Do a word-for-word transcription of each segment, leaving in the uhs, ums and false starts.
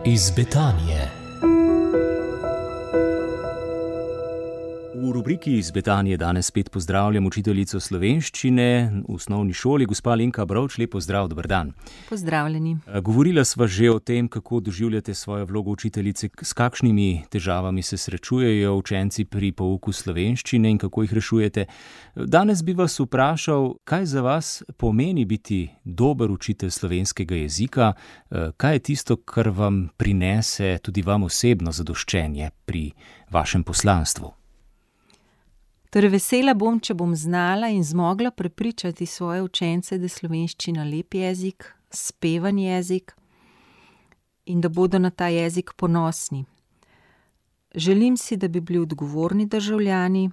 Iz Betanije. V rubriki Iz Betanije danes spet pozdravljam učiteljico slovenščine v osnovni šoli, gospa Alenka Brovč. Lep pozdrav, dober dan. Pozdravljeni. Govorila sva že o tem, kako doživljate svojo vlogo učiteljice, s kakšnimi težavami se srečujejo učenci pri pouku slovenščine in kako jih rešujete. Danes bi vas vprašal, kaj za vas pomeni biti dober učitelj slovenskega jezika, kaj je tisto, kar vam prinese tudi vam osebno zadoščenje pri vašem poslanstvu. Torej, vesela bom, če bom znala in zmogla prepričati svoje učence, da je slovenščina lep jezik, spevan jezik in da bodo na ta jezik ponosni. Želim si, da bi bili odgovorni državljani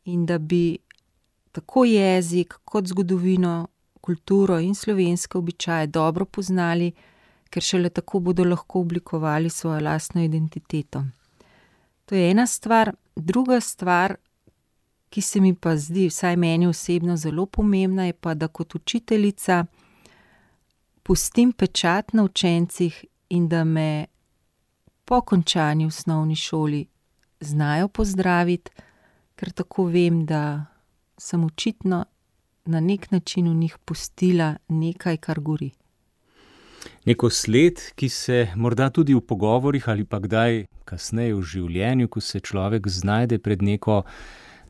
in da bi tako jezik kot zgodovino, kulturo in slovenske običaje dobro poznali, ker šele tako bodo lahko oblikovali svojo lastno identiteto. To je ena stvar. Druga stvar, ki se mi pa zdi, vsaj meni osebno, zelo pomembna, je pa, da kot učiteljica pustim pečat na učencih in da me po končani osnovni šoli znajo pozdraviti, ker tako vem, da sem očitno na nek način v njih pustila nekaj, kar gori. Neko sled, ki se morda tudi v pogovorih ali pa kdaj kasneje v življenju, ko se človek znajde pred neko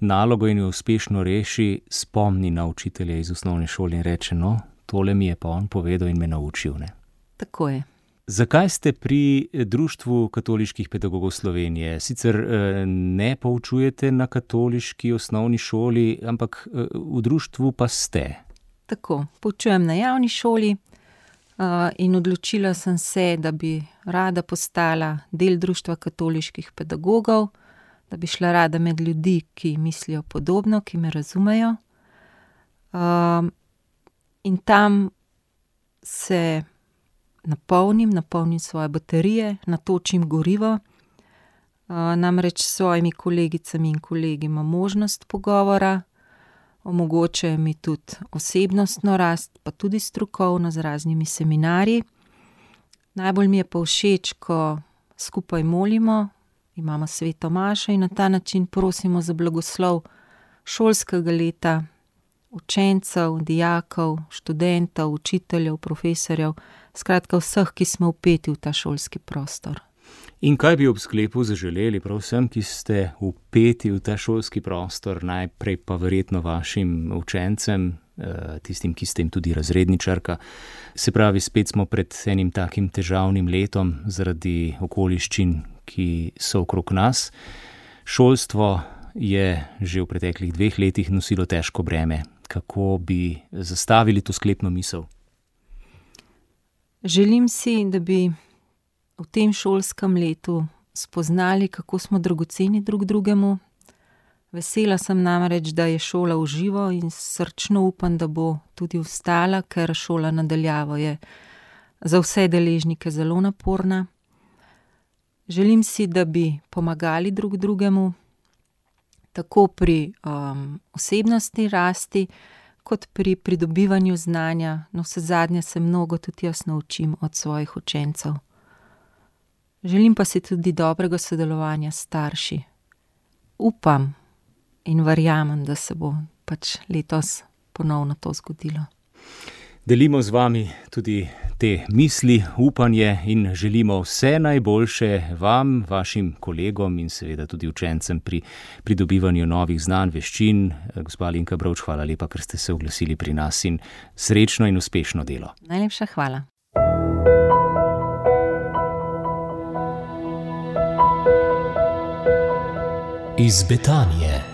nalogo in jo uspešno reši, spomni na učitelja iz osnovne šole in reče, no, tole mi je pa on povedal in me naučil, ne. Tako je. Zakaj ste pri Društvu katoliških pedagogov Slovenije? Sicer ne poučujete na katoliški osnovni šoli, ampak v društvu pa ste. Tako, poučujem na javni šoli in odločila sem se, da bi rada postala del Društva katoliških pedagogov, da bi šla rada med ljudi, ki mislijo podobno, ki me razumejo. Um, in tam se napolnim, napolnim svoje baterije, natočim gorivo. Uh, namreč s svojimi kolegicami in kolegi imam možnost pogovora, omogočajo mi tudi osebnostno rast, pa tudi strokovno z raznimi seminarji. Najbolj mi je pa všeč, ko skupaj molimo, imamo sveto mašo in na ta način prosimo za blagoslov šolskega leta, učencev, dijakov, študentov, učiteljev, profesorjev, skratka vseh, ki smo vpeti v ta šolski prostor. In kaj bi ob sklepu zaželeli prav vsem, ki ste vpeti v ta šolski prostor, najprej pa verjetno vašim učencem, tistim, ki ste jim tudi razredničarka? Se pravi, spet smo pred enim takim težavnim letom zaradi okoliščin, ki so okrog nas. Šolstvo je že v preteklih dveh letih nosilo težko breme. Kako bi zastavili to sklepno misel? Želim si, da bi v tem šolskem letu spoznali, kako smo dragoceni drug drugemu. Vesela sem namreč, da je šola v živo in srčno upam, da bo tudi ostala, ker šola na daljavo je za vse deležnike zelo naporna. Želim si, da bi pomagali drug drugemu, tako pri um, osebnostni rasti, kot pri pridobivanju znanja. No, vsezadnje se mnogo tudi jaz naučim od svojih učencev. Želim pa si tudi dobrega sodelovanja s starši. Upam in verjamem, da se bo pač letos ponovno to zgodilo. Delimo z vami tudi te misli, upanje in želimo vse najboljše vam, vašim kolegom in seveda tudi učencem pri pridobivanju novih znanj, veščin. Gospa Alenka Brovč, hvala lepa, ker ste se oglasili pri nas in srečno in uspešno delo. Najlepša hvala. Iz Betanije.